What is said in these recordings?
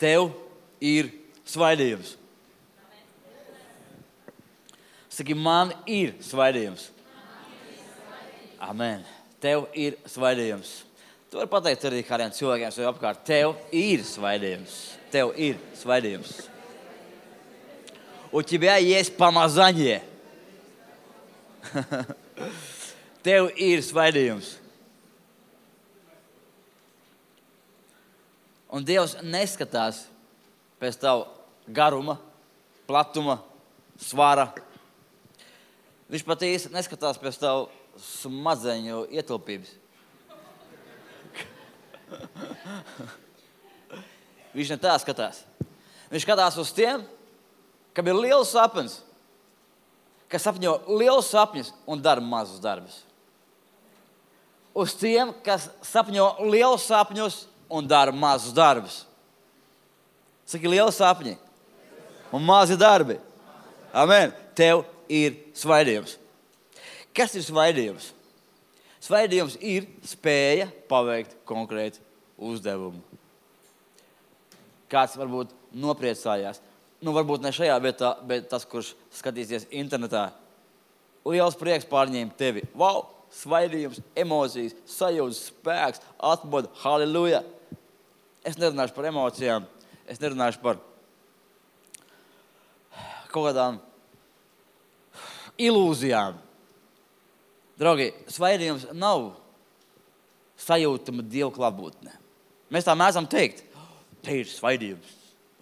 Tev ir svaidījums. Saki, man ir svaidījums. Amen. Tev ir svaidījums. Tu vari pateikt arī kādiem cilvēkiem sev apkārt. Tev ir svaidījums. Tev ir svaidījums. У тебя есть помазание. Tev ir svaidījums. Un Dievs neskatās pēc tavu garuma, platuma, svara. Viņš pat īsti neskatās pēc tavu smadzeņu ietilpības. Viņš ne tā skatās. Viņš skatās uz tiem, kam ir liels sapnis, kas sapņo liels sapņus un dara mazus darbus. Uz tiem, kas sapņo liels sapņus un dara mazus darbus. Saki, liels sapņi un mazi darbi. Amen. Tev ir svaidījums. Kas ir svaidījums? Svaidījums ir spēja paveikt konkrētu uzdevumu. Kāds varbūt nopriecājās. Varbūt ne šajā vietā, bet tas, kurš skatīsies internetā. Liels prieks pārņēma tevi. Wow! Svaidījums, emocijas, sajūtas, spēks, atmoda. Halleluja! Es nerunāšu par emocijām. Es nerunāšu par kaut kādām ilūzijām. Draugi, svaidījums nav sajūtama Dieva klātbūtne. Mēs tā mēdzam teikt. Te ir svaidījums.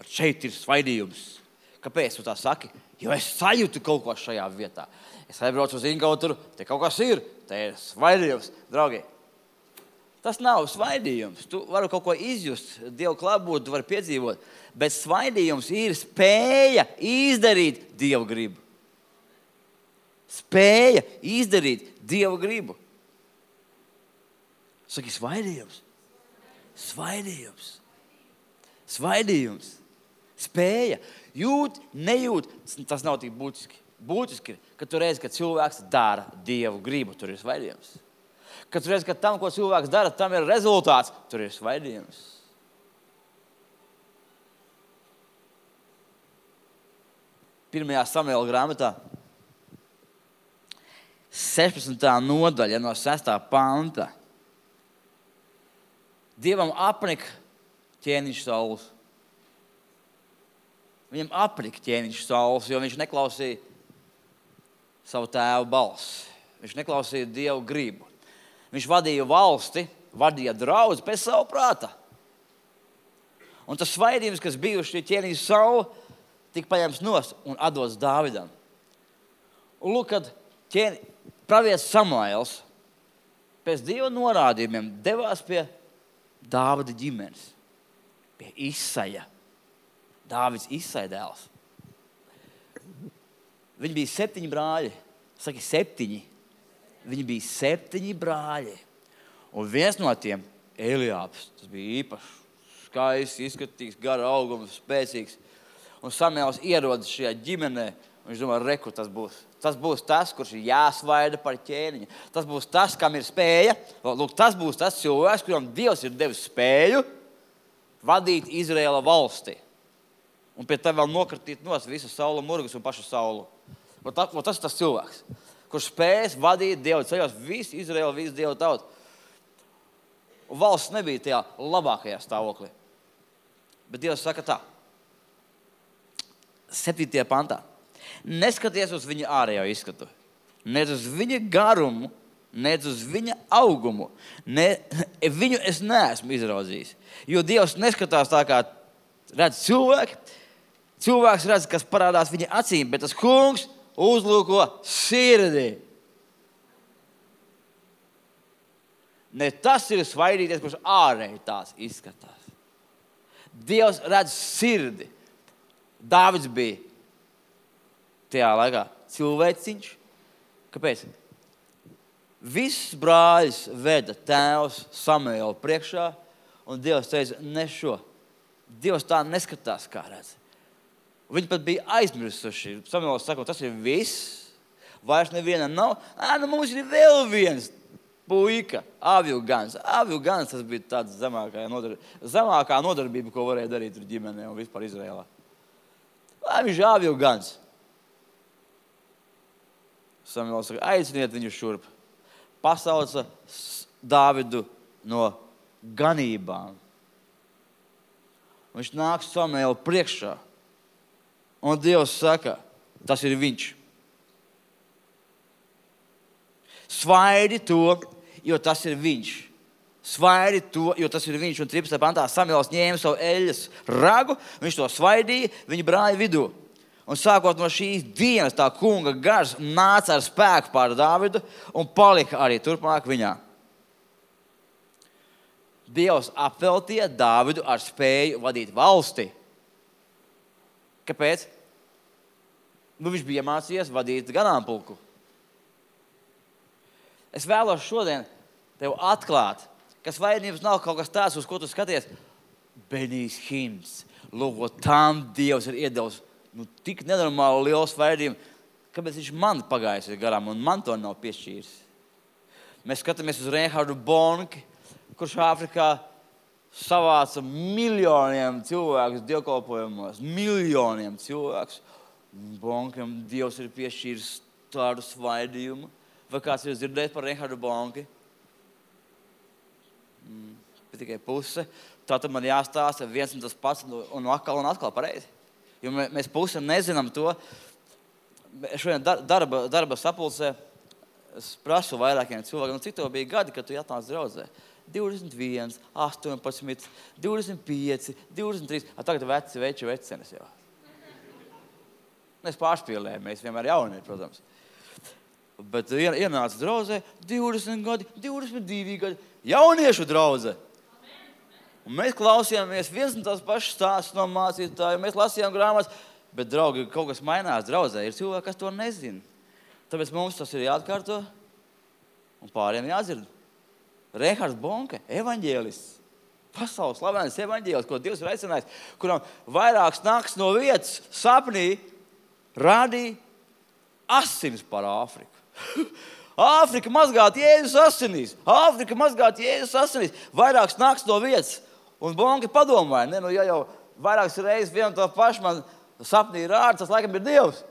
Šeit ir svaidījums. Kāpēc tu tā saki? Jo es sajūtu kaut ko šajā vietā. Es aizbraucu uz Inkauturu, te kaut kas ir. Te ir svaidījums. Draugi, tas nav svaidījums. Tu vari kaut ko izjust, Dieva klātbūtni, tu vari piedzīvot. Bet svaidījums ir spēja izdarīt Dieva gribu. Spēja izdarīt Dieva gribu. Saki, svaidījums. Svaidījums. Svaidījums. Spēja. Jūt, nejūt, tas nav tik būtiski. Būtiski, ka tu reizi, kad cilvēks dara Dievu gribu, tur ir svaidījums. Kad tu reizi, ka tam, ko cilvēks dara, tam ir rezultāts, tur ir svaidījums. Pirmajā Samuela grāmatā 16. nodaļa no 6. panta. Dievam apnika ķēniņš Sauls. Viņam apnika ķēniņš Sauls, jo viņš neklausīja savu tēvu balsi. Viņš neklausīja Dievu gribu. Viņš vadīja valsti, vadīja draudzi pēc savu prāta. Un tas svaidījums, kas bijuši ķēniņš Saulu, tika paņemts nost un atdots Dāvidam. Un lūk, kad pravietis Samuēls pēc Dieva norādījumiem devās pie Dāvida ģimenes, pie Isaja. Dāvids Isaja dēls. Viņi bija 7 brāļi. Saki, 7. Viņi bija 7 brāļi. Un viens no tiem, Eliābs, tas bija īpašs, skaists, izskatīgs, gara auguma, spēcīgs. Un Samuēls ierodas šajā ģimenē. Viņš domā, reku, tas būs. Tas būs tas, kurš ir jāsvaida par ķēniņu. Tas būs tas, kam ir spēja. Lūk, tas būs tas cilvēks, kuram Dievs ir devis spēju vadīt Izraēla valsti. Un pie tev vēl nokratīt nost visu Saula murgus un pašu Saulu. Tas ir tas cilvēks, kurš spējas vadīt Dievu ceļos visu Izraēlu, visu Dievu tautu. Un valsts nebija tajā labākajā stāvoklī. Bet Dievs saka tā. 7. pantā. Neskaties uz viņa ārējo izskatu, nec uz viņa garumu, nec uz viņa augumu. Viņu es neesmu izraudzījis. Jo Dievs neskatās tā, kā redz cilvēki. Cilvēks redz, kas parādās viņa acīm, bet tas kungs uzlūko sirdī. Ne tas ir svaidīties, kurš ārēji tās izskatās. Dievs redz sirdi. Dāvids bija tajā laikā cilvēciņš. Kāpēc? Visus brāļus veda tēvs Samuēlu priekšā, un Dievs teica, ne šo. Dievs tā neskatās, kā redz. Viņi pat bija aizmirsuši. Samuēls saka, tas ir viss. Vairs neviena nav. Nu mums ir vēl viens. puika, avju gans. Avju gans tas bija tāds zemākā nodarbība, ko varēja darīt tur ģimenē un vispār Izrēlā. Viņš ir avju gans. Samuēls saka, aiciniet viņu šurp. Pasauca Dāvidu no ganībām. Viņš nāk Samuēlu priekšā. Un Dievs saka, tas ir viņš. Svaidi to, jo tas ir viņš. Svaidi to, jo tas ir viņš. Un 13. pantā Samuēls ņēma savu eļas ragu, viņš to svaidīja viņa brāļa vidū. Un sākot no šīs dienas tā kunga gars nāca ar spēku pār Dāvidu un palika arī turpmāk viņā. Dievs apveltīja Dāvidu ar spēju vadīt valsti. Kāpēc? Viņš bija iemācījies vadīt ganāmpulku. Es vēlos šodien tev atklāt, ka svaidījums nav kaut kas tāds, uz ko tu skaties. Benijs Hins, lūk, tam Dievs ir iedevis tik nenormāli lielu svaidījumu, kāpēc viņš man pagājis garām un man to nav piešķīris. Mēs skatāmies uz Reinhardu Bonki, kurš Āfrikā savāca miljoniem cilvēkus dievkalpojumos. Miljoniem cilvēkus. Bonkam Dievs ir piešķīris tādu svaidījumu. Vai kāds ir dzirdējis par Reinhardu Bonki? Tikai puse. Tātad man jāstāsta viens un tas pats un atkal pareizi. Jo mēs pusi nezinām to. Šodien darba sapulcē es prasu vairākiem cilvēkiem, cik tev bija gadi, kad tu atnāc draudzē? 21, 18, 25, 23. Tagad vecenes jau. Mēs pārspīlējam, mēs vienmēr jauni, protams. Bet ienāca draudzē 20 gadi, 22 gadi. Jauniešu draudze. Un mēs klausījāmies viens un tās pašas stāstus no mācītājiem, mēs lasījām grāmatas, bet, draugi, kaut kas mainās draudzē. Ir cilvēki, kas to nezina. Tāpēc mums tas ir jāatkārto un pāriem jādzird. Reinhards Bonke, evaņģēlists, pasaules slavēns evaņģēlists, ko Dievs ir aicinājis, kuram vairākas nakts no vietas sapnī rādīja asinis par Āfriku. Āfrika mazgāt Jēzus asinīs. Āfrika mazgāt Jēzus asinīs. Vairākas nakts no vietas. Un Bonke padomāja, ja jau vairākas reizes vienu to pašu man sapnī rāda, tas laikam ir Dievs.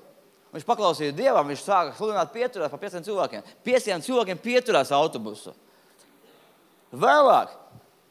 Viņš paklausīja Dievam, viņš sāka sludināt pieturās par 5 cilvēkiem. 5 cilvēkiem pieturās autobusu. Vēlāk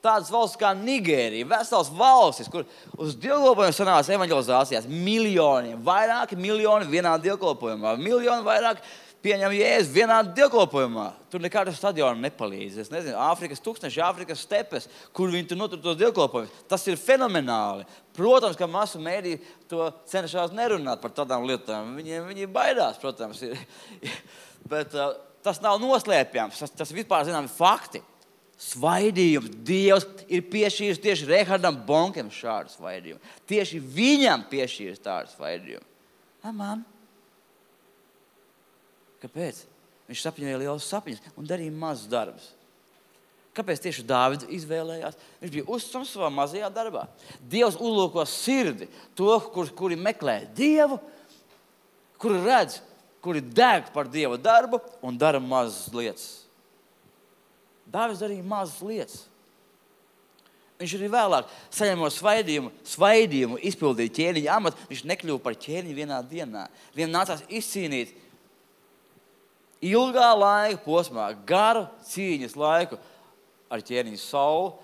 tādas valsts kā Nigērija, vesels valstis, kur uz dievkalpojumu sanāca evaņģelizācijās miljoniem, vairāki miljoni vienā dievkalpojumā, miljoni vairāk pieņem Jēzu vienā dievkalpojumā. Tur nekādu stadionu nepalīdz. Es nezinu, Āfrikas tūkstneši, Āfrikas stepes, kur viņi tur notur tos dievkalpojumus. Tas ir fenomenāli. Protams, ka masu mēdī to cenšas nerunāt par tādām lietām. Viņi baidās, protams. Bet tas nav noslēpjams. Tas vispār zinām fakti. Svaidījums. Dievs ir piešķīris tieši Reinhardam Bonkam šādu svaidījumu. Tieši viņam piešķīris tādu svaidījumu. Amen. Kāpēc? Viņš sapņoja lielus sapņus un darīja mazus darbus. Kāpēc tieši Dāvidu izvēlējās? Viņš bija uzticams savā mazajā darbā. Dievs uzlūko sirdi, to, kuri meklē Dievu, kuri redz, kuri deg par Dieva darbu un dara mazas lietas. Dāvids darīja mazas lietas. Viņš arī vēlāk saņemot svaidījumu izpildīja ķēniņa amatu. Viņš nekļuva par ķēniņu vienā dienā. Viņam nācās izcīnīt ilgā laika posmā, garu cīņas laiku ar ķēniņu Saulu,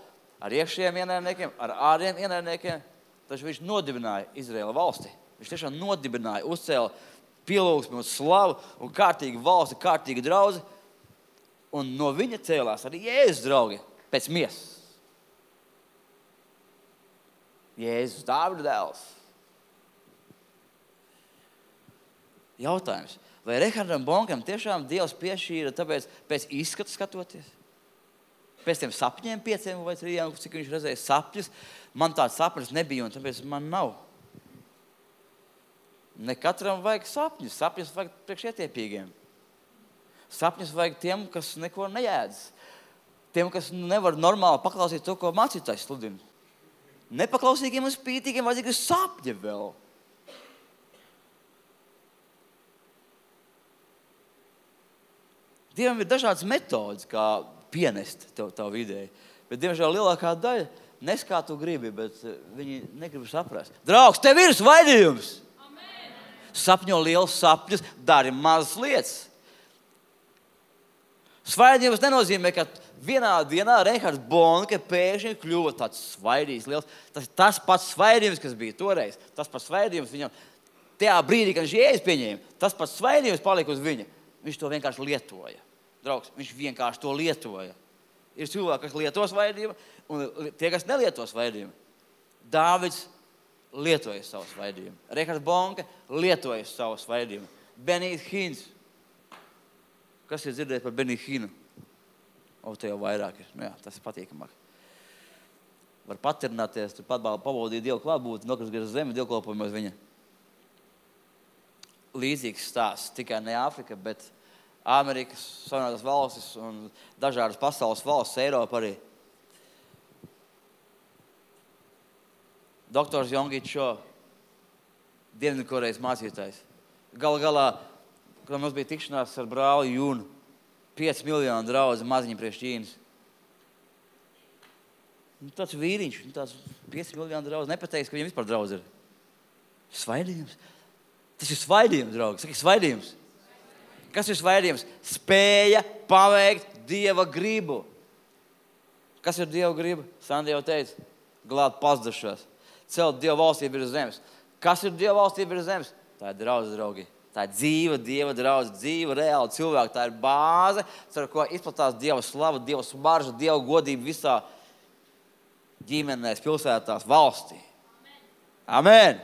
ar iekšējiem ienaidniekiem, ar ārējiem ienaidniekiem. Taču viņš nodibināja Izraēla valsti. Viņš tiešām nodibināja, uzcēla pielūgsmi un slavu un kārtīgu valsti, kārtīgu draudzi. Un no viņa cēlās arī Jēzus draugi pēc miesas. Jēzus, Dāvida dēls. Jautājums. Vai Reinhardam Bonkam tiešām Dievs piešķīra tāpēc pēc izskata skatoties? Pēc tiem sapņiem 5 vai 3, cik viņš redzēja sapņus, man tāds sapnis nebija un tāpēc man nav. Ne katram vajag sapņus. Sapņus vajag priekšietiepīgiem. Sapņus vajag tiem, kas neko neēdz. Tiem, kas nevar normāli paklausīt to, ko mācītājs sludina. Nepaklausīgiem un spītīgiem vajag sapņi vēl. Dievam ir dažādas metodas, kā pienest tavu ideju. Bet, diemžēl, lielākā daļa nes kā tu gribi, bet viņi negrib saprast. Draugs, tev ir svaidījums! Amen. Sapņo liels sapņus, dari mazas lietas. Svaidījums nenozīmē, ka vienā dienā Reihards Bonke pēkšņi kļuva tāds svaidījums liels. Tas ir tas pats svaidījums, kas bija toreiz. Tas pats svaidījums viņam tajā brīdī, kad viņš Jēzus pieņēma. Tas pats svaidījums palika uz viņa. Viņš to vienkārši lietoja. Draugs, viņš vienkārši to lietoja. Ir cilvēki, kas lieto svaidījumu, un tie, kas nelieto svaidījumu. Dāvids lietoja savu svaidījumu. Reihards Bonke lietoja savu svaidījumu. Benijs Hins. Kas ir dzirdējis par Beniju Hinu? Te jau vairāk ir. Jā, tas ir patīkamāk. Var paternāties, tur pabaudīt Dievu klātbūtni, nokrist gar zemi, dievkalpojumos viņa. Līdzīgs stāsts, tikai ne Āfrika, bet Amerikas Savienotās valstis un dažādas pasaules valstis, Eiropa arī. Doktors Yonggi Cho, Dienvidkorejas mācītājs. Galā, kad mums bija tikšanās ar brāli Jūnu, 5 miljonu draudzi maziņi priekš Ķīnas. Tāds vīriņš, tāds 5 miljonu draudzi, nepateiks, ka viņam vispār draudzi ir. Svaidījums. Tas ir svaidījums, draugi. Saki, svaidījums. Kas ir svaidījums? Spēja paveikt Dieva gribu. Kas ir Dieva griba? Sandra jau teica, glābt pazudušos. Celt Dieva valstību virs zemes. Kas ir Dieva valstība virs zemes? Tā ir draudze, draugi. Tā ir dzīva Dieva draudze, dzīva, reāla cilvēka. Tā ir bāze, ar ko izplatās Dieva slava, Dieva smarža, Dieva godība visā ģimenēs, pilsētās, valstī. Amen.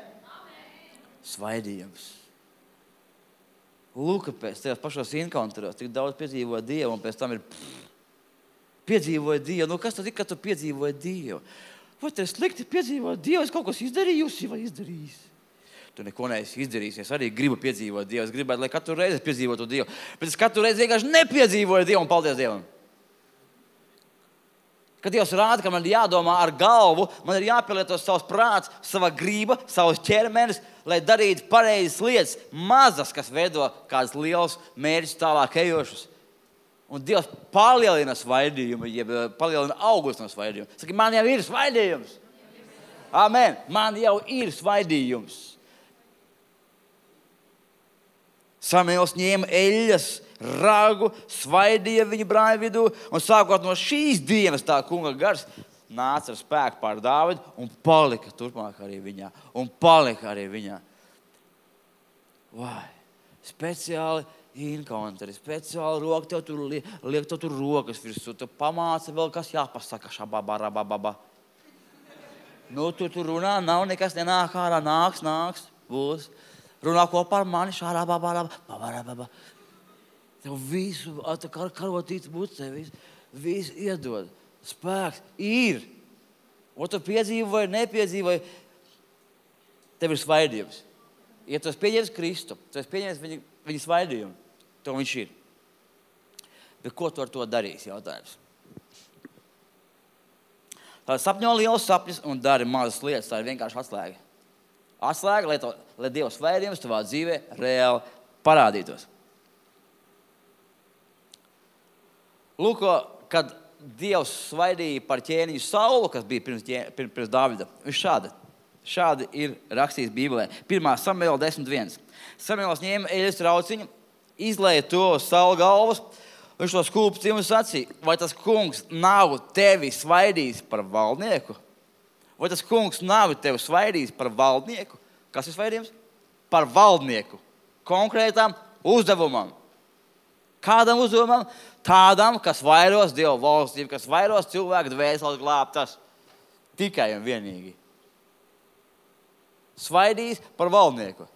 Svaidījums. Lūk, pēc tajos pašos encounteros tik daudz piedzīvoja Dievu, un pēc tam ir piedzīvoja Dievu. Nu, kas tad ir, kad tu piedzīvoja Dievu? Vai te slikti piedzīvoja Dievu? Es kaut kas izdarījusi vai izdarījis? Tu neko neesi izdarījis. Es arī gribu piedzīvot Dievu. Es gribētu, lai katru reizi piedzīvotu Dievu. Bet es katru reizi vienkārši nepiedzīvoju Dievu, un paldies Dievam. Kad Dievs rāda, ka man ir jādomā ar galvu, man ir jāpielieto savs prāts, sava grība, savs ķermenis, lai darītu pareizas lietas, mazas, kas veido kādas liels mērķus tālāk ejošus. Un Dievs palielina svaidījumu, jeb palielina august no svaidījuma. Saki, man jau ir svaidījums. Amen. Man jau ir svaidījums. Samuēls ņēma eļļas, ragu, svaidīja viņu brāļu vidū, un sākot no šīs dienas tā kunga gars nāca ar spēku pār Dāvidu un palika turpmāk arī viņā. Vai, speciāli encounteri, speciāli roka, tev tur liek tev tur rokas virsū, tu pamāca vēl, kas jāpasaka, šababārabababa. Nu, tu runā, nav nekas nenāk ārā, nāks, būs. Runā kopā ar mani, šārababārabababa. Tev visu, karotīts bucē, visu iedod. Spēks ir. O tu piedzīvoji, nepiedzīvoji. Tev ir svaidījums. Ja tu esi pieņēmis Kristu, tu esi pieņēmis viņa svaidījumu, to viņš ir. Bet ko tu ar to darīsi, jautājums? Tā sapņo liels sapņus un dari mazas lietas. Tā ir vienkārši atslēga. Atslēga, lai Dieva svaidījums tavā dzīvē reāli parādītos. Lūk, kad Dievs svaidīja par ķēniņu Saulu, kas bija pirms Dāvida, viņš šādi ir rakstījis Bībelē. 1. Samuēla 10.1. Samuēls ņēma eļļas rauciņu, izlēja to uz Saula galvas, viņš to skūpstīja un sacīja, vai tas kungs nav tevi svaidījis par valdnieku? Vai tas kungs nav tevi svaidījis par valdnieku? Kas ir svaidījums? Par valdnieku. Konkrētām uzdevumam. Kādam uzdevumam? Tādam, kas vairos Dieva valstību, kas vairos cilvēku dvēseles glābtas. Tikai un vienīgi. Svaidījis par valdnieku.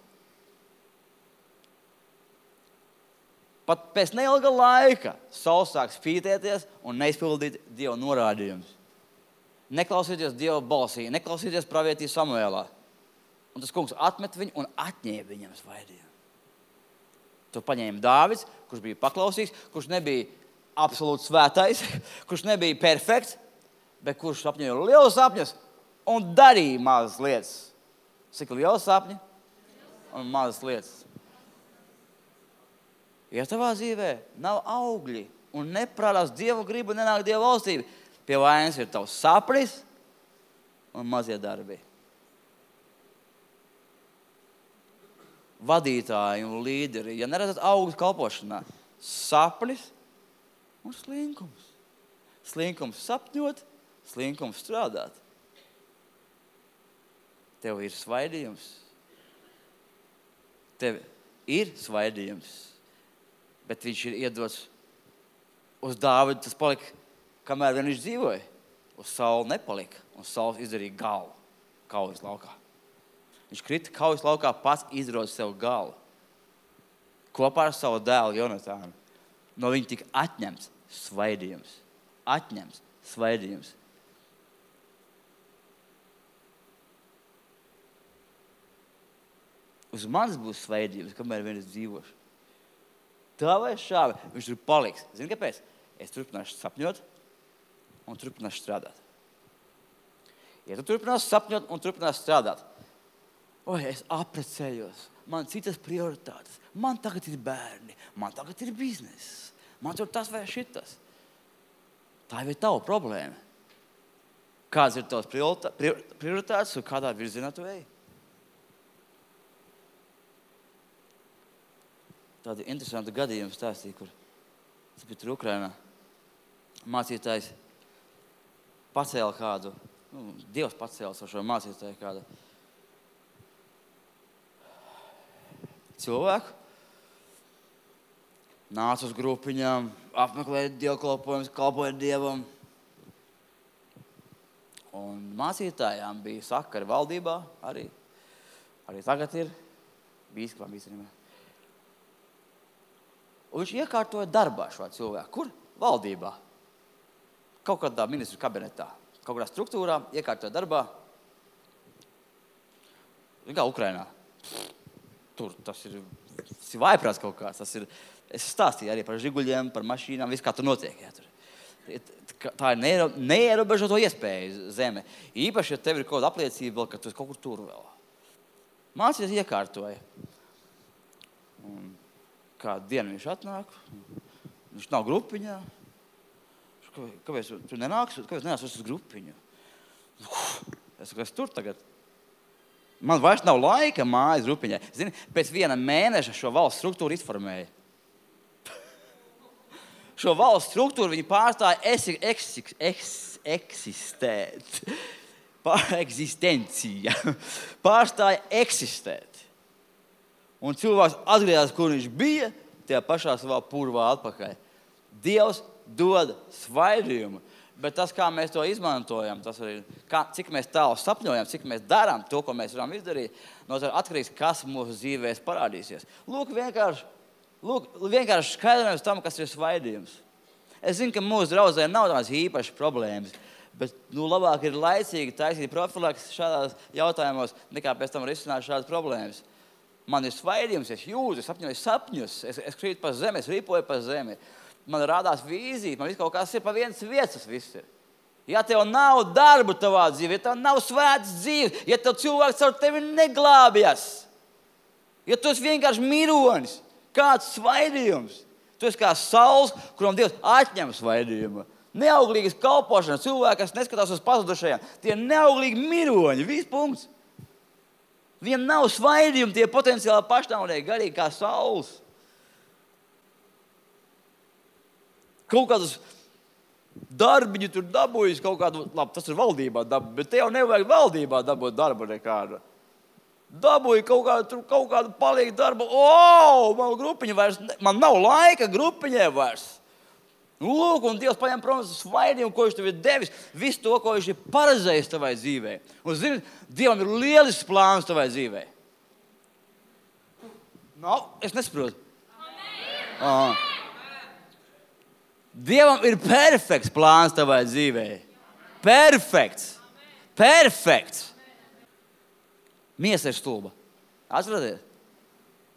Pat pēc neilga laika Sauls sāk spītēties un neizpildīt Dieva norādījumus. Neklausīties Dieva balsī, neklausīties pravietī Samuēlā. Un tas kungs atmet viņu un atņēma viņam svaidījumu. To paņēma Dāvids, kurš bija paklausīgs, kurš nebija absolūti svētais, kurš nebija perfekts, bet kurš sapņoja lielus sapņus un darīja mazas lietas. Cik liels sapņi un mazas lietas. Ja tavā dzīvē nav augļi un neprādās Dievu gribu, nenāk Dievu valstība, pie vainas ir tavs sapnis un mazie darbi. Vadītāji un līderi, ja neredzat augļus kalpošanā, sapnis un slinkums. Slinkums sapņot, slinkums strādāt. Tev ir svaidījums. Tev ir svaidījums, bet viņš ir iedots uz Dāvidu, tas palika, kamēr vien viņš dzīvoja. Uz Saulu nepalika, un Sauls izdarīja galu kaujas laukā. Viņš krita kaujas laukā, pats izrod sev galu. Kopā ar savu dēlu Jonatānu. No viņa tika atņemts svaidījums. Atņemts svaidījums. Uz manis būs svaidījums, kamēr vien es dzīvošu. Tā vai šāvi, viņš tur paliks. Zini, kāpēc? Es turpināšu sapņot un turpināšu strādāt. Ja tu turpināsi sapņot un turpināsi strādāt, es aprecējos, man citas prioritātes, man tagad ir bērni, man tagad ir bizness, man tur tas vai šitas. Tā jau ir tava problēma. Kādas ir tavas prioritātes un kādā virzienā tu ej? Tādu interesantu gadījumu stāstīju, kur tas bija tur Ukrainā. Mācītājs pacēla kādu, Dievs pacēla šo mācītāju kādu cilvēku. Nāca uz grupiņām, apmeklēja dievkalpojumus, kalpoja Dievam. Un mācītājām bija sakari valdībā, arī tagad ir bīskapām īstenībā. Un viņš iekārtoja darbā šo cilvēku. Kur? Valdībā. Kaut kādā ministru kabinetā, kaut kādā struktūrā, iekārtoja darbā. Kā Ukrainā. Tur tas ir vājprāts kaut kāds. Es stāstīju arī par žiguļiem, par mašīnām, viss kā tur notiek. Jā, tur. Tā ir neierobežoto iespēju zeme. Īpaši, ja tev ir kaut kāda apliecība, ka tu esi kaut kur tur vēl. Mācīties iekārtoja. Un kādu dienu viņš atnāk, viņš nav grupiņā. Kāpēc tu nenāks? Kāpēc nenāks uz grupiņu? Es saku, es tur tagad. Man vairs nav laika mājas grupiņai. Zini, pēc viena mēneša šo valsts struktūru izformēja. Šo valsts struktūru viņi pārstāja eksistēt. Eksistencija. Pārstāja eksistēt. Un cilvēks atgriezās, kur viņš bija, tajā pašā savā purvā atpakaļ. Dievs dod svaidījumu, bet tas, kā mēs to izmantojam, tas arī, cik mēs tālu sapņojam, cik mēs darām to, ko mēs varam izdarīt, no tā atkarīgs, kas mūsu dzīvēs parādīsies. Lūk, vienkārši skaidrojums tam, kas ir svaidījums. Es zinu, ka mūsu draudzē nav tās īpašas problēmas, bet labāk ir laicīgi taisīt profilaks šādās jautājumos, nekā pēc tam risināt šādas problēmas. Man ir svaidījums, es jūtu, es apņoju sapņus, es krītu pa zemi, es ripoju pa zemi. Man rādās vīzija, man viss kaut kas ir pa vienas vietas viss ir. Ja tev nav darbu tavā dzīvē, ja tev nav svētas dzīves, ja tev cilvēks ar tevi neglābjas, ja tu esi vienkārši mironis, kāds svaidījums, tu esi kā sauls, kuram Dievs atņem svaidījumu. Neauglīgas kalpošanas cilvēki, kas neskatās uz pazudušajiem, tie neauglīgi miroņi, viss punkts. Viņam nav svaidījumi, tie potenciāli pašnāvnieki, garīgi kā sauls. Kaut kādus darbiņu tur dabūjis, kaut kādu, labi, tas ir valdībā dabūt, bet te jau nevajag valdībā dabūt darbu nekādu. Dabūju kaut kādu palīgu darbu, man grupiņa vairs, man nav laika grupiņai vairs. Lūk, un Dievs paņem prom svaidījumu, ko viņš tev ir devis, visu to, ko viņš ir paredzējis tavai dzīvē. Un zini, Dievam ir lielisks plāns tavai dzīvē. Es nesaprotu. Dievam ir perfekts plāns tavai dzīvē. Perfekts. Perfekts. Miesa ir stulba. Atcerieties?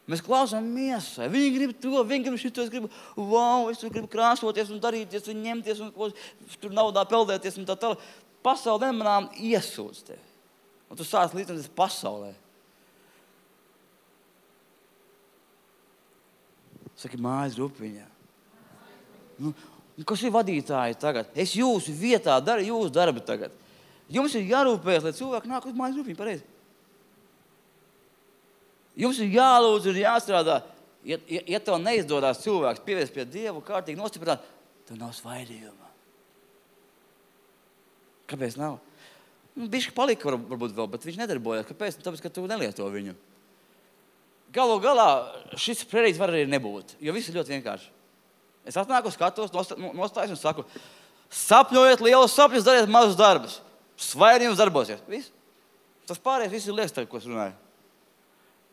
Mēs klausām miesai. Viņi grib to, viņi grib šito, es gribu krāsoties un darīties un ņemties un tur naudā peldēties un tā tālāk. Pasaule nemanām iesūdz tevi. Un tu sāc līdzināties pasaulē. Saki, mājas grupiņā. Nu, kas ir vadītāji tagad? Es jūsu vietā daru jūsu darbu tagad. Jums ir jārūpējas, lai cilvēki nāk uz mājas grupiņu, pareizi. Jums ir jālūdz un jāstrādā. Ja tev neizdodas cilvēks pievērst pie Dievu, kārtīgi nostiprināt, tev nav svaidījuma. Kāpēc nav? Bišķi palika varbūt vēl, bet viņš nedarbojas. Kāpēc? Tāpēc, ka tu nelieto viņu. Galu galā šis prerīts var arī nebūt, jo viss ir ļoti vienkārši. Es atnāku, skatos, nostājos un saku, sapņojiet lielus sapņus, dariet mazus darbus. Svaidījums darbosies. Viss. Tas pārējais viss ir liekas tagad, ko es runāju.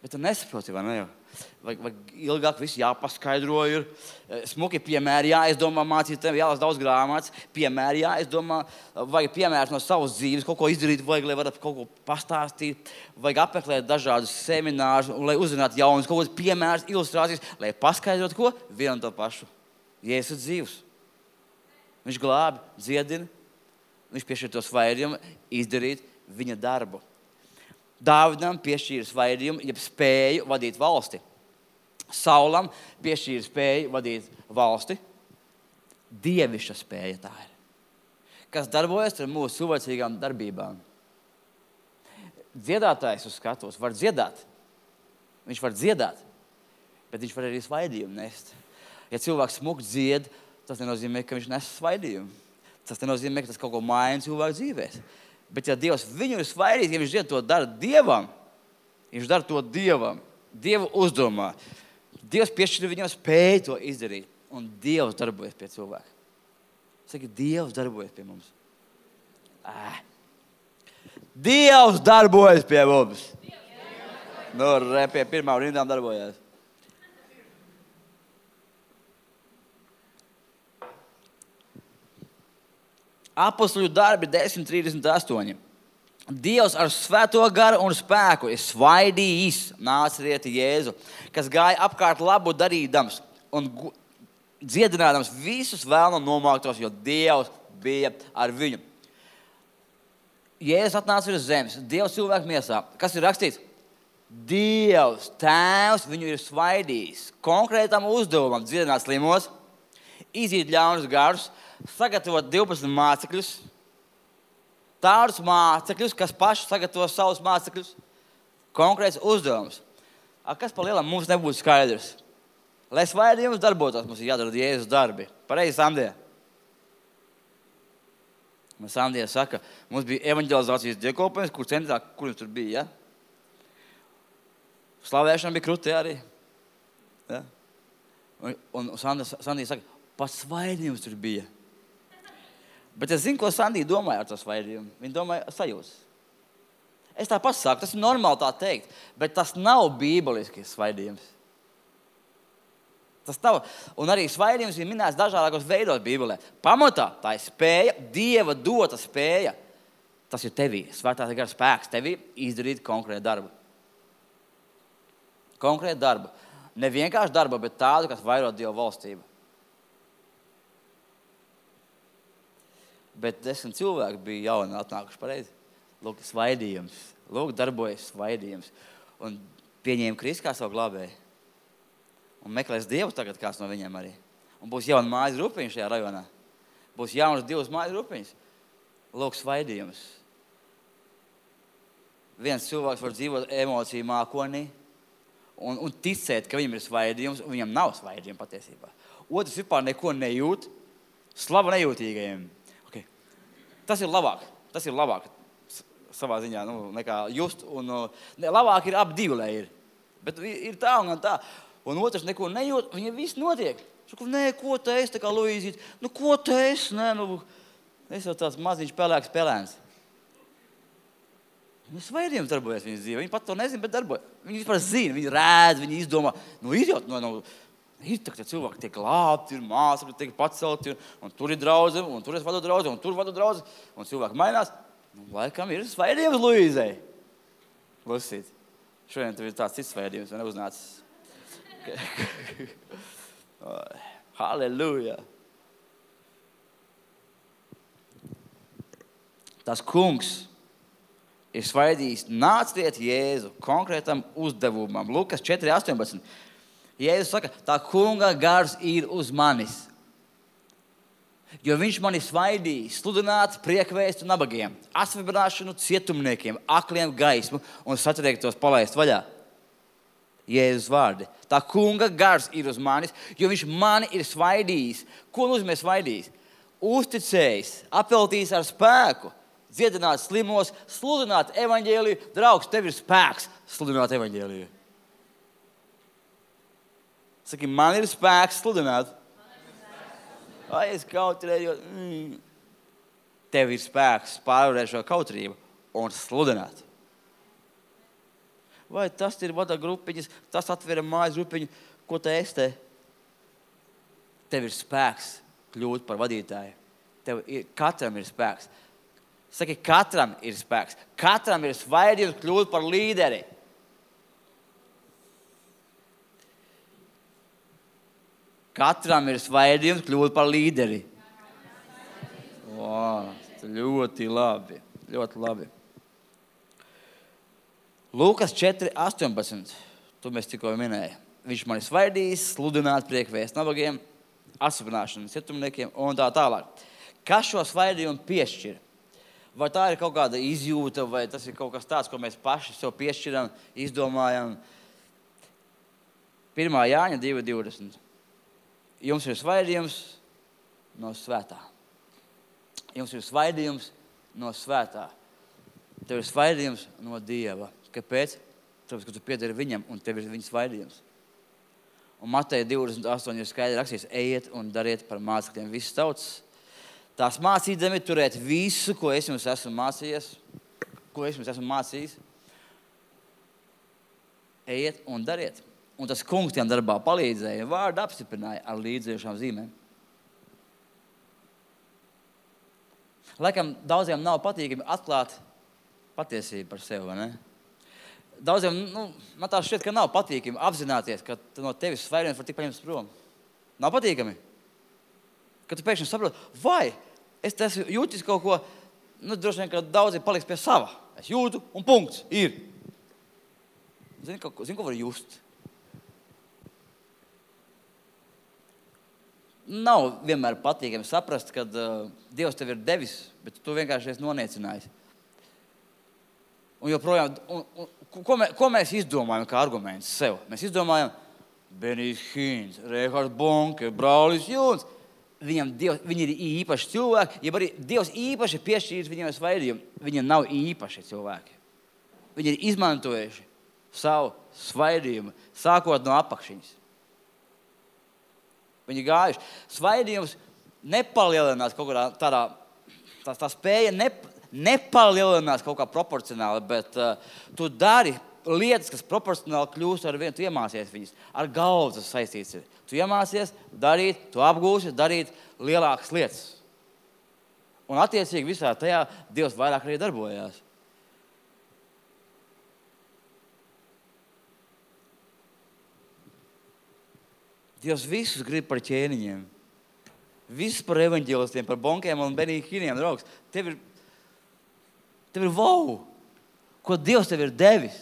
Bet tu nesaproti, vai ne jau? Vai ilgāk viss jāpaskaidro ir. Smuki piemēri jāizdomā mācītājiem, jālasa daudz grāmatas. Piemēri jāizdomā, vajag piemērs no savas dzīves, kaut ko izdarīt, vajag, lai varat kaut ko pastāstīt. Vajag apmeklēt dažādus seminārus, lai uzzinātu jaunus, kaut kādas piemērs, ilustrācijas, lai paskaidrotu ko? Vienu un to pašu. Jēzus ir dzīvs. Viņš glābi, dziedina. Viņš piešķir to svaidījumu, izdarīt viņa darbu. Dāvidam piešķīra svaidījumu, jeb spēju vadīt valsti. Saulam piešķīra spēju vadīt valsti. Dievišķa spēja tā ir. Kas darbojas ar mūsu cilvēcīgām darbībām. Dziedātājs uz skatos var dziedāt. Viņš var dziedāt, bet viņš var arī svaidījumu nest. Ja cilvēks smuki dzied, tas nenozīmē, ka viņš nes svaidījumu. Tas nenozīmē, ka tas kaut ko maina cilvēku dzīvēs. Bet ja Dievs viņu ir svaidījis, ja viņš to dara Dievam, viņš dara to Dievam, Dievu uzdomā. Dievs piešķir viņam spēju to izdarīt, un Dievs darbojas pie cilvēka. Saki, Dievs darbojas pie mums. Dievs darbojas pie mums. Nu, pie pirmām rindām darbojās. Apostoļu darbi 10:38. Dievs ar svēto garu un spēku ir svaidījis Nācerieti Jēzu, kas gāja apkārt labu darīdams un dziedinādams visus vēlna nomāktos, jo Dievs bija ar viņu. Jēzus atnāca uz zemes, Dievs cilvēku miesā. Kas ir rakstīts? Dievs, Tēvs, viņu ir svaidījis konkrētam uzdevumam dziedināt slimos, izīt ļaunus garus, sagatavot 12 mācekļus, tādus mācekļus, kas paši sagatavo savus mācekļus, konkrēts uzdevums. Kas pa lielam mums nebūtu skaidrs? Lai svaidījums darbotos, mums ir jādara Jēzus darbi. Pareizi, Sandija? Sandija saka, mums bija evanģelizācijas dievkalpojums, kur centrā, kur jums tur bija, ja? Slavēšana bija krutē arī. Ja? Un Sandija saka, pat svaidījums tur bija. Bet es zinu, ko Sandija domāja ar to svaidījumu. Viņa domāja sajūtas. Es tāpat saku, tas ir normāli tā teikt, bet tas nav bībeliskis svaidījums. Tas nav. Un arī svaidījums ir minēts dažādākos veidos Bībelē. Pamatā tā ir spēja, Dieva dota spēja. Tas ir tevī, svētā gara spēks tevī izdarīt konkrētu darbu. Konkrētu darbu. Ne vienkārši darbu, bet tādu, kas vairo Dieva valstību. Bet 10 cilvēki bija jauni atnākuši pareizi. Lūk, svaidījums. Lūk, darbojas svaidījums. Un pieņēma Kristu kā savu glābēju. Un meklēs Dievu tagad kāds no viņiem arī. Un būs jauna mājas grupiņa šajā rajonā. Būs jaunas 2 mājas grupiņas. Lūk, svaidījums. Viens cilvēks var dzīvot emociju mākonī un ticēt, ka viņam ir svaidījums, un viņam nav svaidījuma patiesībā. Otrs vispār neko nejūt. Slava nejūtīgajiem. Tas ir labāk. Tas ir labāk savā ziņā, nekā just. Labāk ir ap divi, lai ir. Bet ir tā un tā. Un otrs neko nejūt, viņam viss notiek. Saku, nē, ko te es, tā kā Luīzīt? Ko te es? Nē, es jau tāds maziņš pelēks pelēns. Svaidījums darbojas viņas dzīvē. Viņi pat to nezina, bet darbojas. Viņi vispār zina, viņi rēd, viņi izdomā. Ir jau, ir tā, ka cilvēki tiek glābti, ir māsakļi, tiek pacelti, un tur ir draudze, un tur es vadu draudze, un tur vadu draudze, un cilvēki mainās. Laikam ir svaidījums Luīzei. Lasīt. Šodien tev ir tāds cits svaidījums, vai neuznācis? Halleluja. Tas kungs ir svaidījis Nāceriet Jēzu konkrētam uzdevumam. Lukas 4:18. Jēzus saka, tā kunga gars ir uz manis. Jo viņš mani svaidīs, sludināt priekvēstu nabagiem, asvibrāšanu cietumniekiem, akliem gaismu un satriektos palaist vaļā. Jēzus vārdi. Tā kunga gars ir uz manis, jo viņš mani ir svaidījis. Ko nozīmē svaidījis? Uzticējis, apveltījis ar spēku, dziedināt slimos, sludināt evaņģēliju. Draugs, tev ir spēks sludināt evaņģēliju. Saki, man ir spēks sludināt. Ai, es kautrējos. Tev ir spēks pārvarēt šo kautrību un sludināt. Vai tas ir vada grupiņas, tas atvera mājas grupiņu, ko te esi te? Tev ir spēks kļūt par vadītāju. Katram ir spēks. Saki, katram ir spēks. Katram ir svaidījums kļūt par līderi. Katram ir svaidījums kļūt par līderi. Wow, ļoti labi. Ļoti labi. Lūkas 4:18. To mēs tikko minējām. Viņš mani svaidīs, sludināt priekvēstu nabagiem, asvibrāšanu cietumniekiem un tā tālāk. Kas šo svaidījumu piešķir? Vai tā ir kaut kāda izjūta, vai tas ir kaut kas tāds, ko mēs paši sev piešķiram, izdomājam? 1. Jāņa 2:20. Jums ir svaidījums no svētā. Jums ir svaidījums no svētā. Tev ir svaidījums no Dieva. Kāpēc? Tāpēc, ka tu piederi viņam un tev ir viņa svaidījums. Un Mateja 28 ir skaidri rakstīts, ejiet un dariet par mācekļiem visas tautas. Tās mācīdami turēt visu, ko es jums esmu mācījies, ko es jums esmu mācījis. Ejiet un dariet. Un tas kungs tiem darbā palīdzēja, vārdu apstiprināja ar līdzējušām zīmēm. Laikam daudziem nav patīkami atklāt patiesību par sevi, vai ne? Daudziem, man tā šķiet, ka nav patīkami apzināties, ka no tevis svaidījums var tik paņemts prom. Nav patīkami? Kad tu pēkšņi saproti, vai es jūtis kaut ko, droši vien, ka daudzi paliks pie sava. Es jūtu un punkts ir. Zini, ko var just? Nav vienmēr patīkami saprast, kad Dievs tev ir devis, bet tu vienkārši esi noniecinājis. Un joprojām, ko mēs izdomājam kā argumentus sev? Mēs izdomājam Benijs Hīns, Reihards Bonke, Braulis Jūns. Viņi ir īpaši cilvēki, ja arī Dievs īpaši piešķīris viņiem svaidījumu. Viņi nav īpaši cilvēki. Viņi ir izmantojuši savu svaidījumu, sākot no apakšiņas. Viņi gājuši. Svaidījums nepalielinās kaut kādā tādā, tā spēja nepalielinās kaut kā proporcionāli, bet tu dari lietas, kas proporcionāli kļūst ar vienu, tu iemācies viņas. Ar galvu tas saistīts ir. Tu iemācies darīt, tu apgūsi darīt lielākas lietas. Un attiecīgi visā tajā Dievs vairāk arī darbojās. Dievs visus grib par ķēniņiem. Visus par evaņģēlistiem, par bonkiem un benīkiniem, draugs. Tev ir wow, ko Dievs tev ir devis.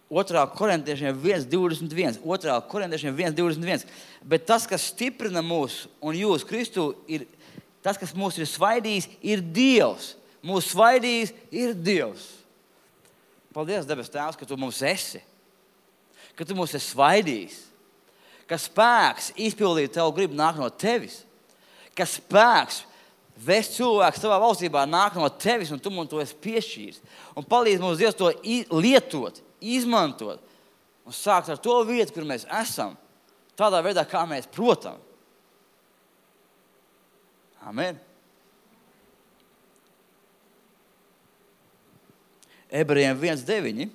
Otrā korintiešiem 1:21. Otrā korintiešiem 1:21. Bet tas, kas stiprina mūs un jūs Kristu, ir tas, kas mūs ir svaidījis, ir Dievs. Mūs svaidījis ir Dievs. Paldies, debes Tēvs, ka tu mums esi, ka tu mums esi svaidījis, ka spēks izpildīt tavu gribu nāk no tevis, ka spēks vest cilvēku savā valstībā nāk no tevis un tu mums to esi piešķīris. Un palīdz mums Dievs to lietot, izmantot un sākt ar to vietu, kur mēs esam, tādā veidā, kā mēs protam. Amen. Ebrejiem 1:9.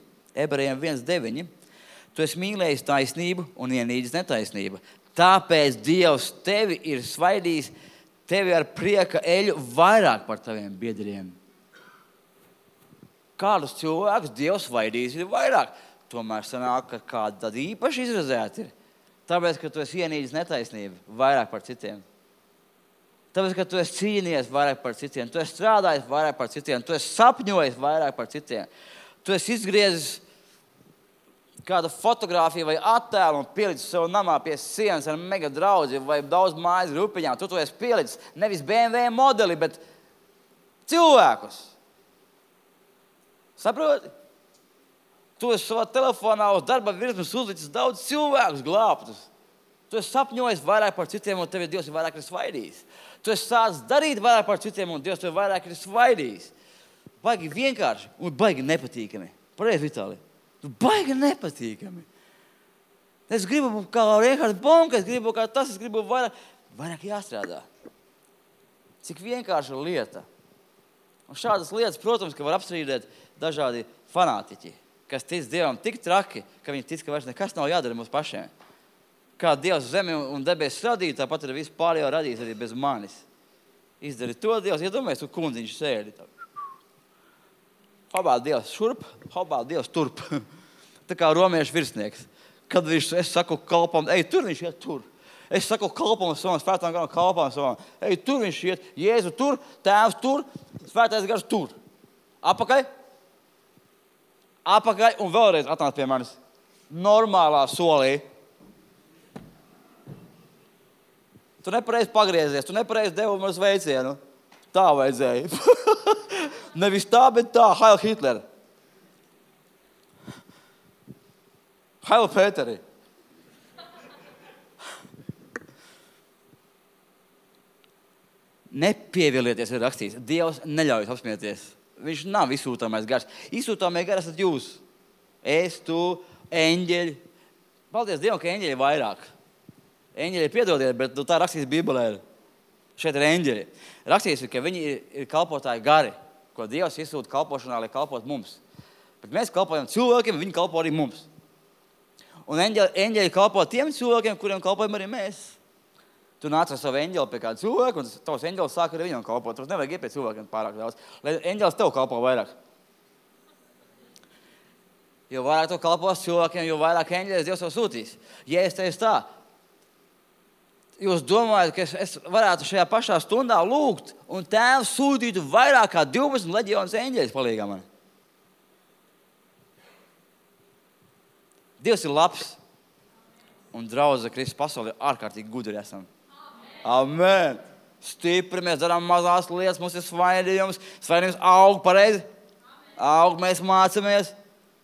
Tu esi mīlējis taisnību un ienīdis netaisnību. Tāpēc Dievs tevi ir svaidījis, tevi ar prieka eļu vairāk par taviem biedriem. Kādus cilvēkus Dievs svaidījis ir vairāk? Tomēr sanāk, ka kāda tad īpaši izrazēta ir. Tāpēc, ka tu esi ienīdis netaisnību vairāk par citiem. Tāpēc, ka tu esi cīnījies vairāk par citiem, tu esi strādājis vairāk par citiem, tu esi sapņojis vairāk par citiem. Tu esi izgriezis kādu fotogrāfiju vai attēlu un pielicis sev namā pie sienas ar mega draudzi vai daudz mājas grupiņām. Tu to esi pielicis nevis BMW modeli, bet cilvēkus. Saproti? Tu esi savā telefonā uz darba virsmas uzlicis daudz cilvēkus glābtus. Tu esi sapņojis vairāk par citiem, un tevi Dievs ir vairāk svaidījis. Tu esi sācis darīt vairāk par citiem, un Dievs tevi vairāk ir svaidījis. Baigi vienkārši un baigi nepatīkami. Pareizi, Vitālij. Tu baigi nepatīkami. Es gribu būt kā Reinhards Bonke, es gribu kā tas, es gribu vairāk jāstrādā. Cik vienkārša lieta. Un šādas lietas, protams, ka var apstrīdēt dažādi fanātiķi, kas tic Dievam tik traki, ka viņi tic, ka vairs nekas nav jādara mums pašiem. Kā Dievs zemi un debesis radīja, tāpat arī visu pārējo radīs arī bez manis. Izdari to, Dievs, iedomājies, tu kundziņš sēdi. Hopā Dievs šurp, hopā Dievs turp. Tā kā romiešu virsnieks. Kad es saku kalpam, ej, tur viņš iet tur. Es saku kalpam savam, svētām garam kalpam savam. Ej, tur viņš iet, Jēzu tur, tēvs tur, svētais gars tur. Apakaļ. Apakaļ un vēlreiz atnāc pie manis. Normālā solī. Tu nepareizi pagriezies, tu nepareizi devu man sveicienu. Tā vajadzēja. Nevis tā, bet tā. Heil Hitler. Heil Pēteri. Nepievilieties, ir rakstīts. Dievs neļauj apsmieties. Viņš nav izsūtāmais gars. Izsūtāmais gars esat jūs. Es, tu, eņģeļi. Paldies Dievam, ka eņģeļi ir vairāk. Eņģeļi piedodiet, bet tā rakstīts Bībelē. Šeit ir eņģeļi. Rakstīts, ka viņi ir kalpotāji gari, ko Dievs izsūta kalpošanā, lai kalpot mums. Bet mēs kalpojam cilvēkiem, viņi kalpo arī mums. Un eņģeļi kalpo tiem cilvēkiem, kuriem kalpojam arī mēs. Tu nāc ar savu eņģeli pie kāda cilvēka, un tavs eņģelis sāk arī viņam kalpot. Tur nevajag iet pie cilvēkiem pārāk daudz, lai eņģelis tev kalpo vairāk. Jo vairāk tu kalpos cilvēkiem, jo vairāk eņģelis Dievs tev sūtīs. Ja es teicu tā, jūs domājat, ka es varētu šajā pašā stundā lūgt, un Tēvs sūtītu vairāk kā 12 leģionas eņģeļus palīgā man? Dievs ir labs, un draudze Kristus pasaulē ārkārtīgi gudri esam. Amen! Stipri, mēs darām mazās lietas, mums ir svaidījums. Svaidījums aug pareizi. Aug, mēs mācamies.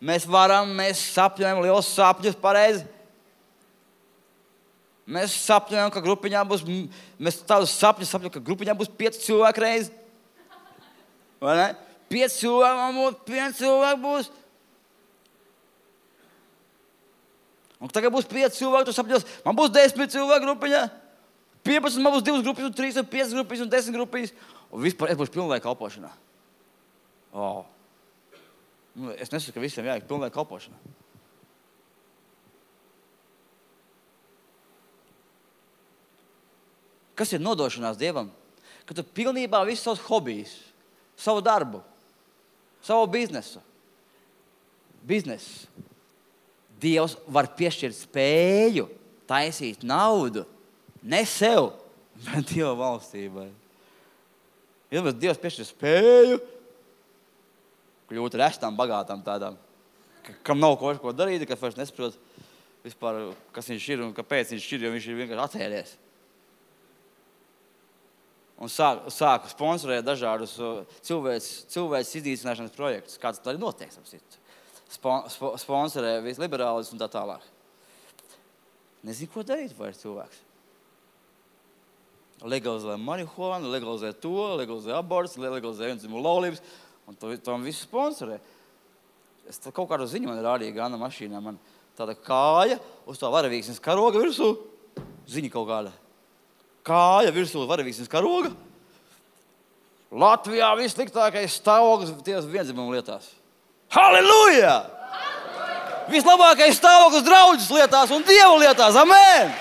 Mēs varam, mēs sapņojam liels sapņus pareizi. Mēs sapņojam, ka grupiņā būs, mēs tādus sapņus sapņojam, ka grupiņā būs 5 cilvēki reizi. Vai ne? 5 cilvēki būs. Un tagad būs 5 cilvēki, tu sapņos, man būs 10 cilvēki grupiņā. 15, man būs 2 grupas, un 3, un 5 grupas, un 10 grupas. Un vispār es būšu pilnlaika kalpošanā. Oh. Es nesaku, ka visiem jāiet pilnlaika kalpošanā. Kas ir nodošanās Dievam? Ka tu pilnībā visus savus hobijus, savu darbu, savu biznesu. Dievs var piešķirt spēju, taisīt naudu. Ne sev, bet Dieva valstībai. Ja Dievs piešķir spēju, kļūt restām, bagātām tādām, kam nav ko darīt, kas vairs nesaprot vispār, kas viņš ir un kāpēc viņš ir, jo viņš ir vienkārši atcēlies. Un sāku sponsorēt dažādus cilvēces izdīcināšanas projektus, kāds tā arī notiek. Sponsorē visliberālis un tā tālāk. Nezinu, ko darīt vairs cilvēks. Legalizē marihuānu, legalizē to, legalizē abortus, legalizē vienzimumu laulības, un to visu sponsorē. Es kaut kādu ziņu man rādīju Gana mašīnā, man tāda kāja uz tā varavīksnes karoga virsū, ziņa kaut kāda. Kāja virsū varavīksnes karoga. Latvijā vissliktākais stāvoklis tieši vienzimumu lietās. Halleluja! Vislabākais stāvoklis draudzes lietās un Dievu lietās. Amen!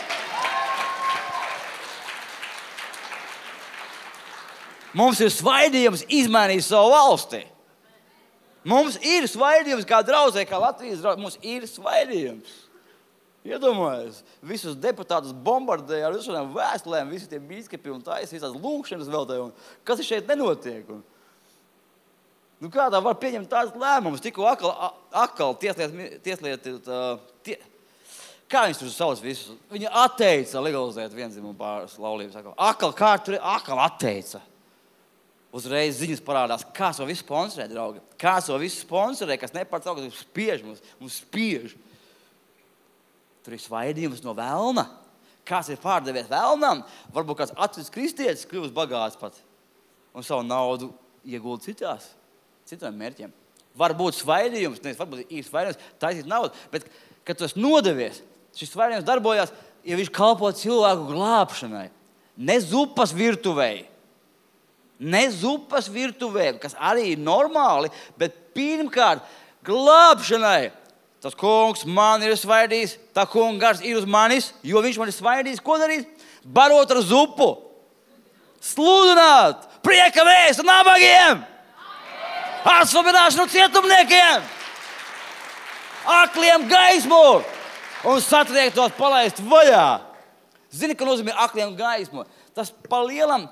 Mums ir svaidījums izmainīt savu valsti. Mums ir svaidījums kā draudzē, kā Latvijas draudzē. Mums ir svaidījums. Iedomājies, visus deputātus bombardēja ar visām vēstulēm, visi tie bīskapi un taisa, visās lūkšanas veltēja. Kas šeit nenotiek? Nu, kā tā var pieņemt tādas lēmumus? Tikko atkal tieslietu, kā viņus tur sauc visus? Viņa atteica legalizēt vienzimumu pāris laulības. Atkal atteica. Uzreiz ziņas parādās, kāds to visu sponsorē, draugi. Kāds to visu sponsorē, kas nepārtrauc, kas spiež mums spiež. Tur ir svaidījums no velna. Kāds ir pārdevies velnam? Varbūt kāds atcīts kristietis kļūst bagāts pat. Un savu naudu iegulda citiem mērķiem. Varbūt svaidījums, varbūt īsti svaidījums, taisīt naudu. Bet, kad tu esi nodevies, šis svaidījums darbojās, ja viņš kalpo cilvēku glābšanai. Ne zupas virtuvei. Ne zupas virtuvē, kas arī ir normāli, bet pirmkārt glābšanai. Tas kungs man ir svaidījis, tā kunga gars ir uz manis, jo viņš man ir svaidījis. Ko darīt? Barot ar zupu. Sludināt prieka vēstu nabagiem. Atsvabināšanu cietumniekiem. Akliem gaismu. Un satriektos palaist vaļā. Zini, ka nozīmē akliem gaismu? Tas pa lielam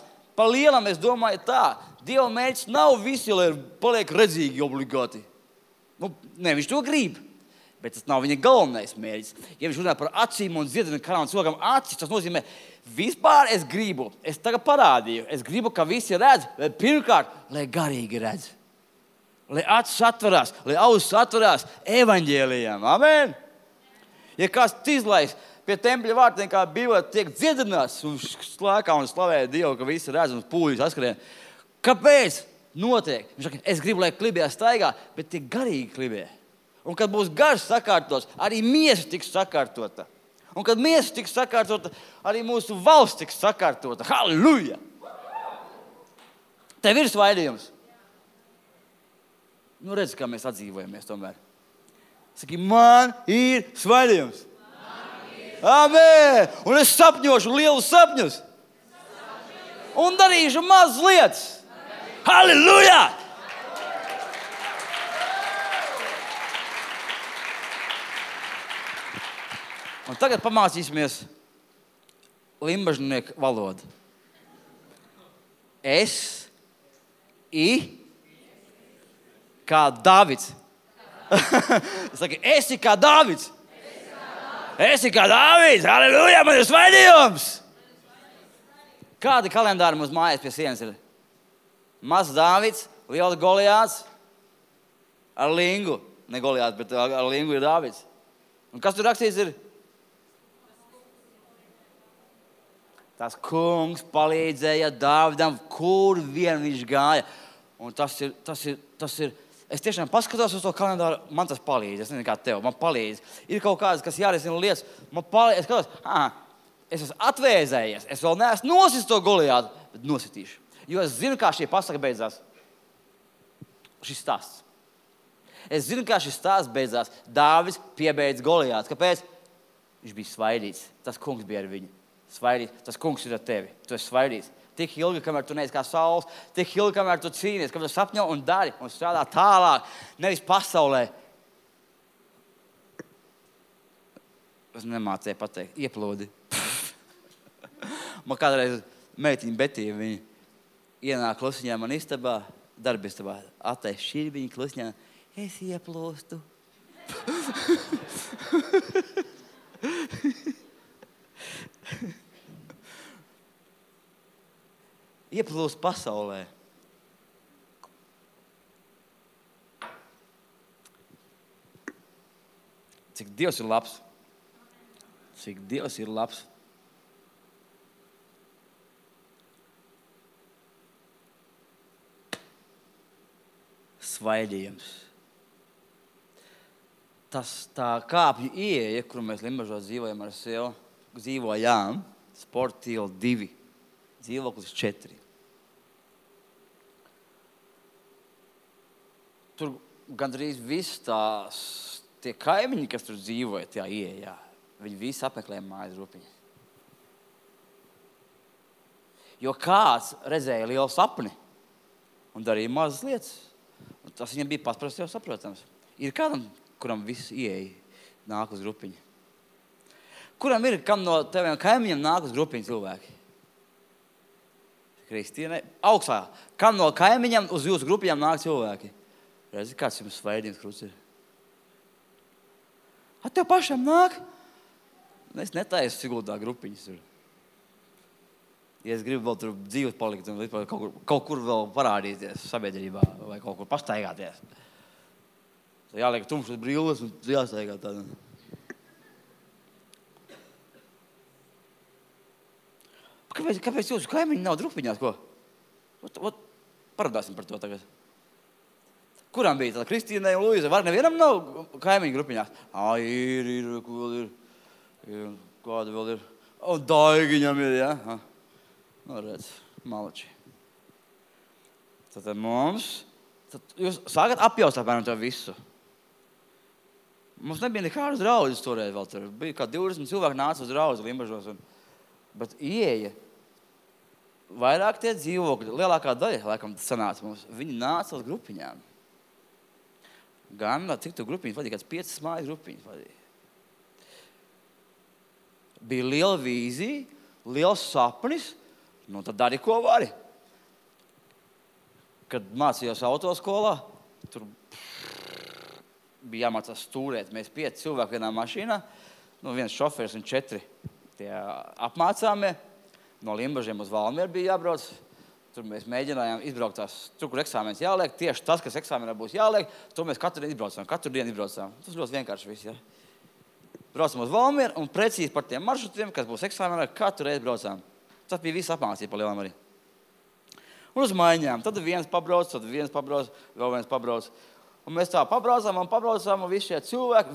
es domāju tā, Dieva mērķis nav visi, lai paliek redzīgi obligāti. Viņš to grib, bet tas nav viņa galvenais mērķis. Ja viņš runā par acīm un dziedina karām cilvēkam acis, tas nozīmē, vispār es gribu, es tagad parādīju, es gribu, ka visi redz, bet pirmkārt, lai garīgi redz. Lai acis atverās, lai ausis atverās evaņģēlijam. Amen! Ja kāds izlaiž pie tempļa vārtiem, kā Bībelē tiek dziedināts un slēkā un slavē Dievu, ka visi redz un pūļus askarien. Kāpēc notiek? Viņš saka, es gribu, lai klibē staigā, bet tie garīgi klibē. Un kad būs gars sakārtots, arī miesa tiks sakārtota. Un kad miesa tiks sakārtota, arī mūsu valsts tiks sakārtota. Halleluja! Tev ir svaidījums. Redz, kā mēs atdzīvojamies tomēr. Saki, man ir svaidījums. Amen! Un es sapņošu lielus sapņus. Un darīšu mazas lietas. Halleluja! Un tagad pamācīsimies limbažnieku valodu. Kā Davids. Saki, esi kā Davids. Esi kā Dāvids, halleluja, man ir svaidījums! Kādi kalendāri mums mājās pie sienas ir? Mazs Dāvids, liels Goliāts ar lingu. Ne Goliāts, bet ar lingu ir Dāvids. Un kas tur rakstīts ir? Tas kungs palīdzēja Dāvidam, kur vien viņš gāja. Un tas ir es tiešām paskatos uz to kalendāru, man tas palīdz. Es nezinu, kā tev, man palīdz. Ir kaut kādas, kas jārisina lietas, man palīdz. Es skatos, es esmu atvēzējies, es vēl neesmu nosis to Goliātu, bet nositīšu. Jo es zinu, kā šī pasaka beidzās. Šis stāsts. Es zinu, kā šis stāsts beidzās. Dāvids piebeidz Goliātu. Kāpēc? Viņš bija svaidīts. Tas kungs bija ar viņu. Svaidīts. Tas kungs ir ar tevi. Tu esi svaidīts. Tik ilgi, kamēr tu neesi kā saules, tik ilgi, kamēr tu cīnies, kamēr tu sapņo un dari un strādā tālāk, nevis pasaulē. Es nemācēju pateikt, ieplūdi. Man kādreiz meitiņa Betīja, viņa ienāk klusiņā man istabā, darbistabā, attais šķirbiņu klusiņā, es ieplūstu. Ieplūst pasaulē. Cik Dievs ir labs. Cik Dievs ir labs. Svaidījums. Tas tā kāpju ieeja, kur mēs Limbažos dzīvojām, Sporta iela 2. Dzīvoklis 4. Tur gandrīz viss tie kaimiņi, kas tur dzīvoja, tajā ieejā, viņi visi apmeklēja mājas rupiņu. Jo kāds redzēja lielu sapni un darīja mazas lietas. Un tas viņam bija pats jau saprotams. Ir kādam, kuram viss ieeja nāk uz rupiņu. Kuram ir, kam no teviem kaimiņiem nāk uz rupiņu cilvēki? Kristīne, augstā. Kam no kaimiņiem uz jūsu grupiņām nāk cilvēki? Redzi, kāds jums svaidījums krusts ir? Tev pašam nāk? Es netaisu Siguldā grupiņas. Ja es gribu vēl tur dzīvot palikt un kaut kur vēl parādīties sabiedrībā vai kaut kur pastaigāties. Tad jāliek tumšas brilles un jāstaigā tādā. Kāpēc jūsu kaimiņi nav grupiņās, ko? Parādāsim par to tagad. Kuram bija tāda Kristīnai un Luīzai? Var nevienam nav kaimiņu grupiņās? Ir, ko vēl ir? Kāda vēl ir? Daigiņam ir, ja? Nu, redz, malači. Tad mums, jūs sākat apjaust apmēram to visu. Mums nebija nekādas draudzes toreiz vēl tur. Bija kā 20 cilvēki nāca uz draudzi Limbažos. Bet ieeja, vairāk tie dzīvokļi, lielākā daļa, laikam, sanāca mums, viņi nāca uz grupiņām. Gan, cik tu grupiņas vadīja, kāds 5 mājas grupiņas vadīja. Bija liela vīzija, liels sapnis, nu tad dari, ko vari. Kad mācījos autoskolā, tur bija jāmācās stūrēt. Mēs 5 cilvēki vienā mašīnā, nu viens šoferis un 4 tie apmācāmie. No Limbažiem uz Valmieru bija jābrauc. Tur mēs mēģinājām izbraukt tur, kur eksāmenis jāliek. Tieši tas, kas eksāmenā būs jāliek, to mēs katru dienu izbraucām. Tas ļoti vienkārši viss, ja. Braucam uz Valmieru un precīzi par tiem maršrutiem, kas būs eksāmenā, katru reizi braucām. Tas bija viss apmācība pa lielām arī. Un uz maiņām. Tad viens pabrauc, vēl viens pabrauc. Un mēs tā pabraucām, un visi šie cilvēki,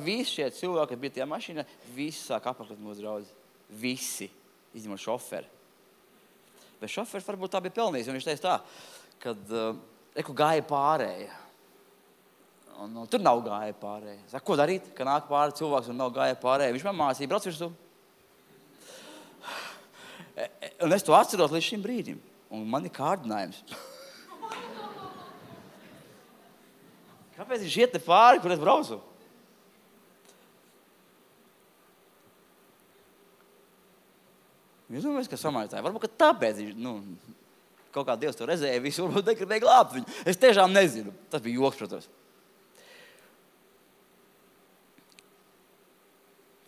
kas bija tajā mašīnā, visi sāk apmeklēt mūsu draudzi. Visi, izņemot šoferi. Bet šoferis varbūt tā bija pelnījis, un viņš teica tā, kad gāja pārēja. Un tur nav gāja pārēja. Saka, ko darīt, ka nāk pāri cilvēks un nav gāja pārēja? Viņš man mācīja, brauc virsū. Un es to atceros līdz šim brīdim. Un man ir kārdinājums. Kāpēc viņš iet te pāri, kur es braucu? Jūs domājat, ka samaitāji. Varbūt, ka tāpēc viņš, kaut kā Dievs to redzēja, visu varbūt negribēja glābt viņu. Es tiešām nezinu. Tas bija joks, protams.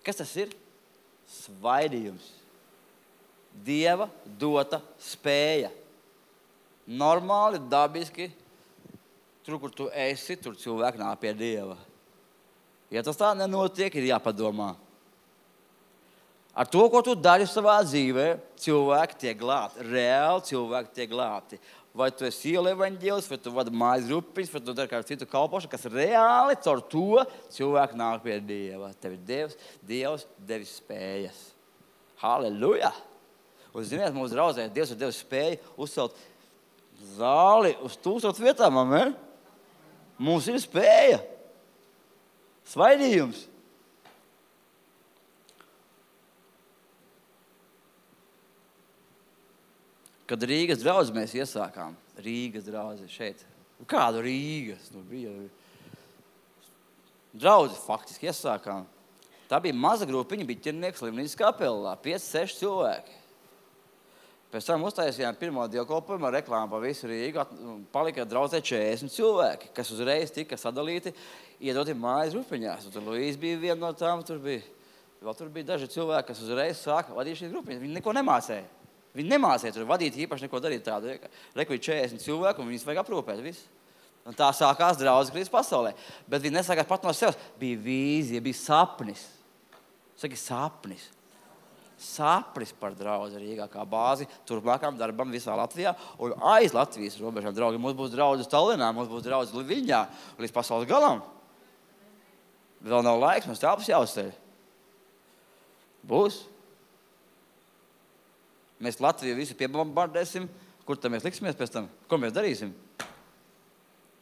Kas tas ir? Svaidījums. Dieva dota spēja. Normāli, dabiski, tur, kur tu esi, tur cilvēki nāk pie Dieva. Ja tas tā nenotiek, ir jāpadomā. Ar to, ko tu dari savā dzīvē, cilvēki tiek glābti. Reāli cilvēki tiek glābti. Vai tu esi ielu evaņģēlis, vai tu vadi mājas grupiņas, vai tu dari kādu citu kalpošanu, kas reāli caur to cilvēki nāk pie Dieva. Tev ir Dievs devis spējas. Halleluja! Un ziniet, mūsu draudzē, Dievs ir devis spēju uzcelt zāli uz 1000 vietām, amen? Mums ir spēja. Svaidījums. Kad Rīgas draudzi mēs iesākām, Rīgas draudzi šeit. Kādu Rīgas? Bija draudzi faktiski iesākām. Tā bija maza grupiņa, bija ķirnieks slimnīcas kapelā, 5-6 cilvēki. Pēc tam uztaisījām pirmo dievkalpojumu ar reklāmu pa visu Rīgu, palika draudzē 40 cilvēki, kas uzreiz tika sadalīti, iedoti mājas grupiņās. Tur Luīs bija viena no tām, tur bija daži cilvēki, kas uzreiz sāka vadīt šīs grupiņas. Viņi neko nemācēja. Viņi nemācīja tur vadīt īpaši neko darīt tādu. Reku ir 40 cilvēku un viņus vajag aprūpēt visu. Un tā sākās draudzes Kristus pasaulē. Bet viņi nesākās pat no sevis. Bija vīzija, bija sapnis. Saki sapnis. Sapnis par draudzi Rīgā kā bāzi turpmākām darbam visā Latvijā un aiz Latvijas robežām. Draugi, mums būs draudzes Tallinā, mums būs draudzes Viļņā līdz pasaules galam. Vēl nav laiks, mums telpas jāuzceļ. Būs. Mēs Latviju visu piebombardēsim. Kur tad mēs liksimies pēc tam? Ko mēs darīsim?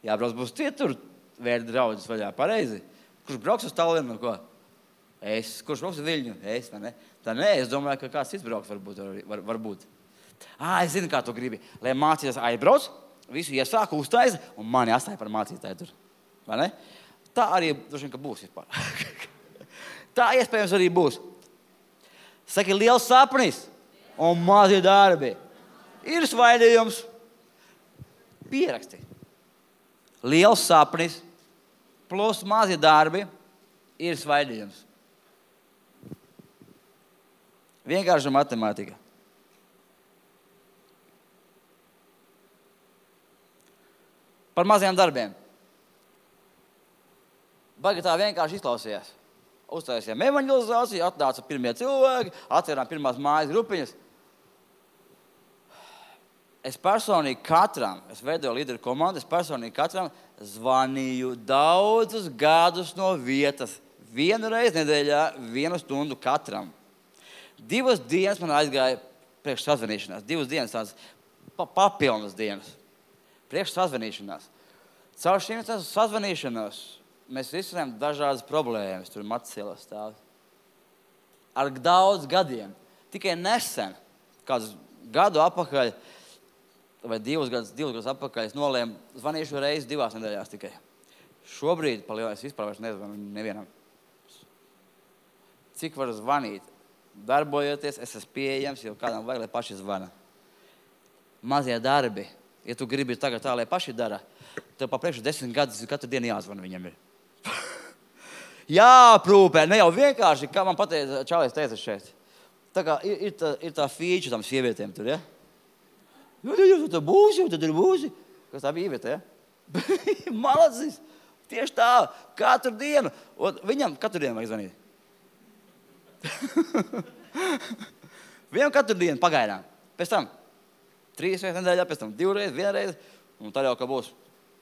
Jābrauc būs tur vērt draudzes vaļā. Pareizi. Kurš brauks uz Tallinu? Ko? Es. Kurš brauks uz Viļņu? Es, vai ne? Tā nē, es domāju, ka kāds cits brauks varbūt. Es zinu, kā tu gribi. Lai mācītājs aizbrauc, visu iesāku, uztaisa un mani atstāja par mācītāju tur. Vai ne? Tā arī droši vien, ka būs vispār. Tā iespējams arī būs. Saki, liels sapnis. Un mazie darbi. Ir svaidījums. Pieraksti. liels sapnis plus mazi darbi ir svaidījums. Vienkārši matemātika. Par maziem darbiem. Baigi tā vienkārši izklausījās. Uztaisījām evanģelizāciju, atnāca pirmie cilvēki, atverām pirmās mājas grupiņas. Es personīgi katram, es veidoju līderu komandu, es personīgi katram zvanīju daudzus gadus no vietas. 1 reizi nedēļā, 1 stundu katram. 2 dienas man aizgāja priekš sazvanīšanās. 2 dienas tādas papilnas dienas. Priekš sazvanīšanās. Caur šīm sazvanīšanās mēs risinājām dažādas problēmas. Tur Matsielas stāv. Ar daudz gadiem. Tikai nesen, kāds gadu atpakaļ, vai 2 gadus atpakaļ, es nolēmu zvanīšu reizi 2 nedēļās tikai. Šobrīd, es vispār vairs nezvanu nevienam. Cik varu zvanīt? Darbojoties, es esmu pieejams, jo kādam vajag, lai paši zvana. Mazie darbi. Ja tu gribi tagad tā, lai paši dara, tev pa priekšu 10 gadus katru dienu jāzvana viņam ir. Jāprūpē, ne jau vienkārši, kā man pateica, Čālais teica šeit. Tā kā ir tā fīča tam sievietēm tur, ja? Tu tur būsi. Kas tā bija ievieta, ja? Malacis. Tieši tā, katru dienu. Un viņam katru dienu vajag zvanīt. Viņam katru dienu pagaidām. Pēc tam 3 reizes nedēļā, pēc tam 2 reizes, 1 reizi. Un tad jau, ka būs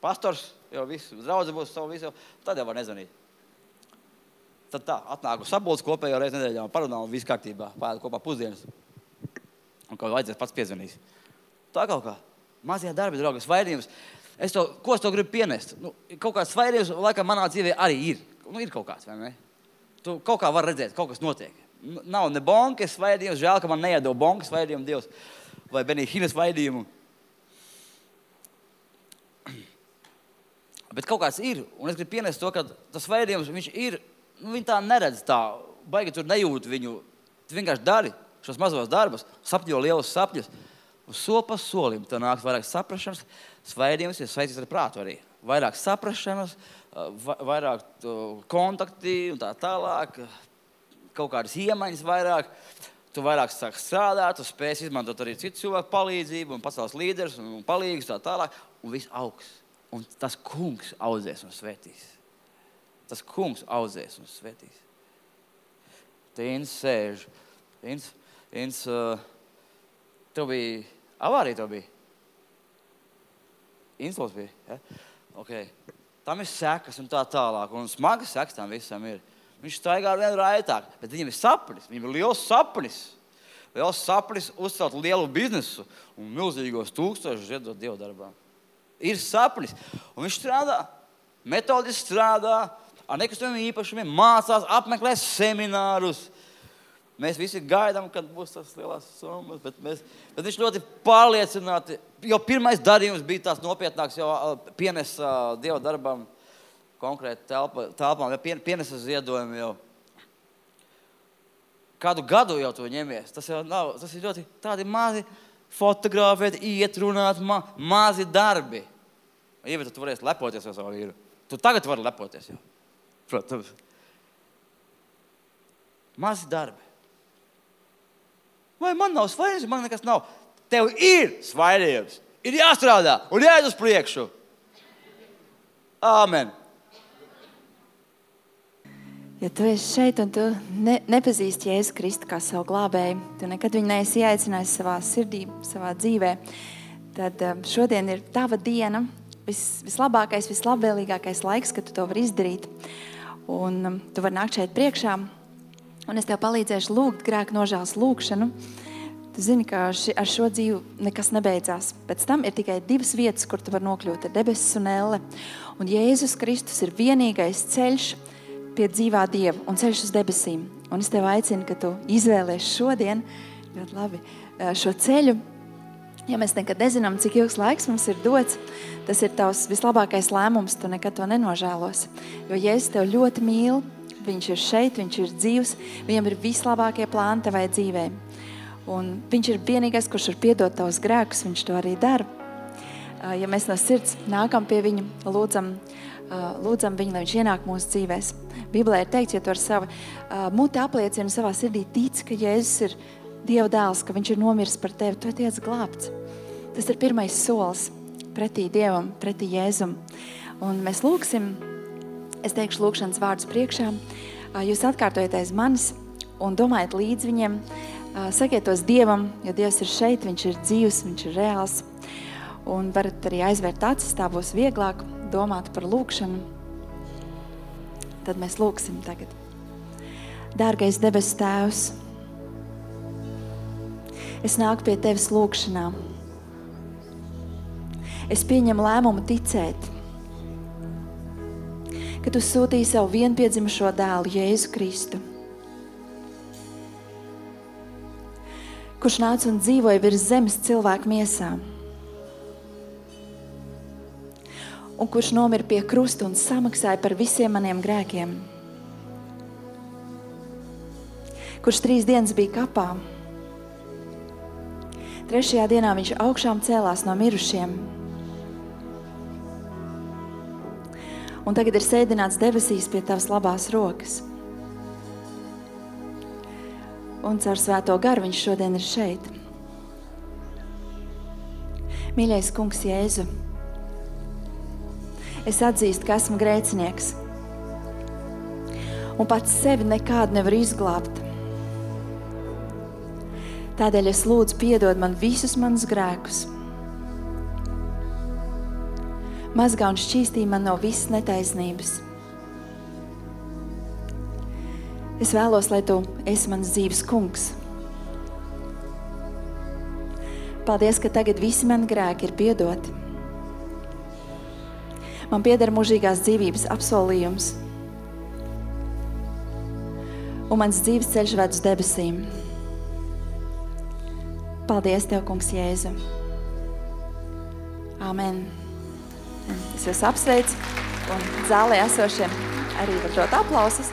pastors, jau viss, draudze būs savu visu, tad jau var nezvanīt. Tad tā, atnāku sapulci kopējo reizi nedēļā un parunā un viss kārtībā. Pāēd kopā pusdienas. Un kaut vajadzēs pats piezvanīs. Tā kaut kā. Mazie darbi, draugi, svaidījums. Ko es to gribu pienest? Kaut kāds svaidījums, laikam, manā dzīvē arī ir. Ir kaut kāds, vai ne? Tu kaut kā var redzēt, kaut kas notiek. Nav ne bonkas svaidījums, žēl, ka man neiedod bonkas svaidījumu Dievs. Vai Benihīnas svaidījumu. Bet kaut kāds ir, un es gribu pienest to, ka tas svaidījums, viņš ir, viņi tā neredz tā, baigi tur nejūt viņu. Tu vienkārši dari šos mazos darbus, sapņo lielus sapņus. Un soli pa solim, tā nāks vairāk saprašanas, svaidījums ir saistīts ar prātu arī. Vairāk saprašanas, vairāk kontakti un tā tālāk, kaut kādas iemaņas vairāk. Tu vairāk sāk strādāt, tu spēsi izmantot arī citu cilvēku palīdzību un pasaules līderus un palīgus tā tālāk. Un viss augs. Un tas kungs audzēs un svētīs. Tas kungs audzēs un svētīs. Te Ins sēž. Ins, tev bija avārija, tev bija? Inslos bija, ja? Ok. Tam ir sekas un tā tālāk. Un smagas sekas tam visam ir. Viņš staigā ar vienu raitāk, bet viņam ir sapnis. Viņam ir liels sapnis. Liels sapnis uzcelt lielu biznesu un milzīgos 1000 ziedot Dievu darbām. Ir sapnis. Un viņš strādā, metodiski strādā, ar nekustamiem īpašumiem, mācās, apmeklē seminārus. Mēs visi gaidām, kad būs tas lielās summas, bet viņš ļoti pārliecināti, jo pirmais darījums bija tās nopietnāks, jau pienes Dievu darbām konkrēti telpām, pienesa ziedojumu jau. Kādu gadu jau to ņemies. Tas jau nav, tas ir ļoti tādi mazi fotografēt, iet, runāt, mazi darbi. Ievita, tu varēsi lepoties ar savu vīru. Tu tagad vari lepoties jau. Protams. Mazi darbi. Vai man nav svaidījums, man nekas nav. Tev ir svaidījums. Ir jāstrādā un jāiet uz priekšu. Āmen. Ja tu esi šeit un tu nepazīsti Jēzu Kristu kā savu glābēju, tu nekad viņu neesi ieaicinājis savā sirdī, savā dzīvē, tad šodien ir tava diena, vislabākais, vislabvēlīgākais laiks, kad tu to vari izdarīt. Un tu vari nākt šeit priekšā, un es tev palīdzēšu lūgt grēku nožēlas lūgšanu. Tu zini, ka ar šo dzīvi nekas nebeidzās. Pēc tam ir tikai 2 vietas, kur tu vari nokļūt, ir debesis un elle. Un Jēzus Kristus ir vienīgais ceļš pie dzīvā Dieva un ceļš uz debesīm. Un es tev aicinu, ka tu izvēlies šodien, ļoti labi, šo ceļu. Ja mēs nekad nezinām, cik ilgs laiks mums ir dots, tas ir tavs vislabākais lēmums, tu nekad to nenožēlos. Jo Jēzus tev ļoti mīl, viņš ir šeit, viņš ir dzīvs, viņam ir vislabākie plāni tavai dzīvē. Un viņš ir vienīgais, kurš var piedot tavus grēkus, viņš to arī dara. ja mēs no sirds nākam pie viņa, lūdzam viņu, lai viņš ienāk mūsu dzīvēs. Bībelē ir teikts, ja tu ar savu muti apliecini savā sirdī tic, ka Jēzus ir Dieva dēls, ka viņš ir nomiris par tevi, tu tiec glābts. Tas ir pirmais solis pretī Dievam, pretī Jēzum. Un mēs lūksim, es teikšu lūkšanas vārdus priekšā, jūs atkārtojat aiz manis un domājat līdz viņiem, sakiet tos Dievam, jo Dievs ir šeit, viņš ir dzīvs, viņš ir reāls. Un varat arī aizvērt acis, tā būs vieglāk domāt par lūkšanu. Tad mēs lūksim tagad. Dārgais debes Tēvs, es nāku pie Tevis lūkšanā. Es pieņemu lēmumu ticēt, ka Tu sūtīji savu vienpiedzimušo dēlu Jēzu Kristu, kurš nāca un dzīvoja virs zemes cilvēku miesā, un kurš nomira pie krusta un samaksāja par visiem maniem grēkiem, kurš 3 dienas bija kapā. 3. dienā viņš augšām cēlās no mirušiem. Un tagad ir sēdināts debesīs pie Tavas labās rokas. Un caur Svēto garu viņš šodien ir šeit. Mīļais Kungs Jēzu, es atzīstu, ka esmu grēcinieks. Un pats sevi nekādu nevaru izglābt. Tādēļ es lūdzu piedod man visus manus grēkus. Mazgā un šķīstī man no visas netaisnības. Es vēlos, lai Tu esi mans dzīves kungs. Paldies, ka tagad visi mani grēki ir piedoti. Man pieder mūžīgās dzīvības apsolījums. Un mans dzīves ceļš ved uz debesīm. Paldies Tev, Kungs Jēzu. Amen. Es jūs apsveicu un zālē esošiem arī var dot aplausus.